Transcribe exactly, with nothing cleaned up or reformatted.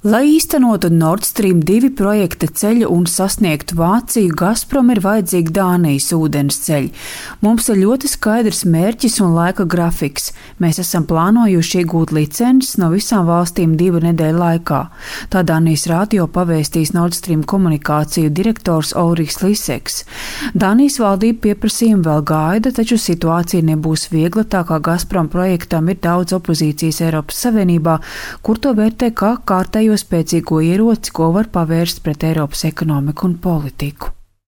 Lai īstenotu Nord Stream divi projekta ceļu un sasniegtu Vāciju, Gazprom ir vajadzīgi Dānijas ūdensceļi. Mums ir ļoti skaidrs mērķis un laika grafiks. Mēs esam plānojuši iegūt licences no visām valstīm divu nedēļu laikā. Tā Dānijas radio pavēstīs Nord Stream komunikāciju direktors Ulrichs Liseks. Dānijas valdība pieprasījumu vēl gaida, taču situācija nebūs viegla, tā kā Gazprom projektam ir daudz opozīcijas Eiropas Savienībā, kur to vērtē kā kārtējo spēcīgo ieroci, ko var pavērst pret Eiropas ekonomiku un politiku.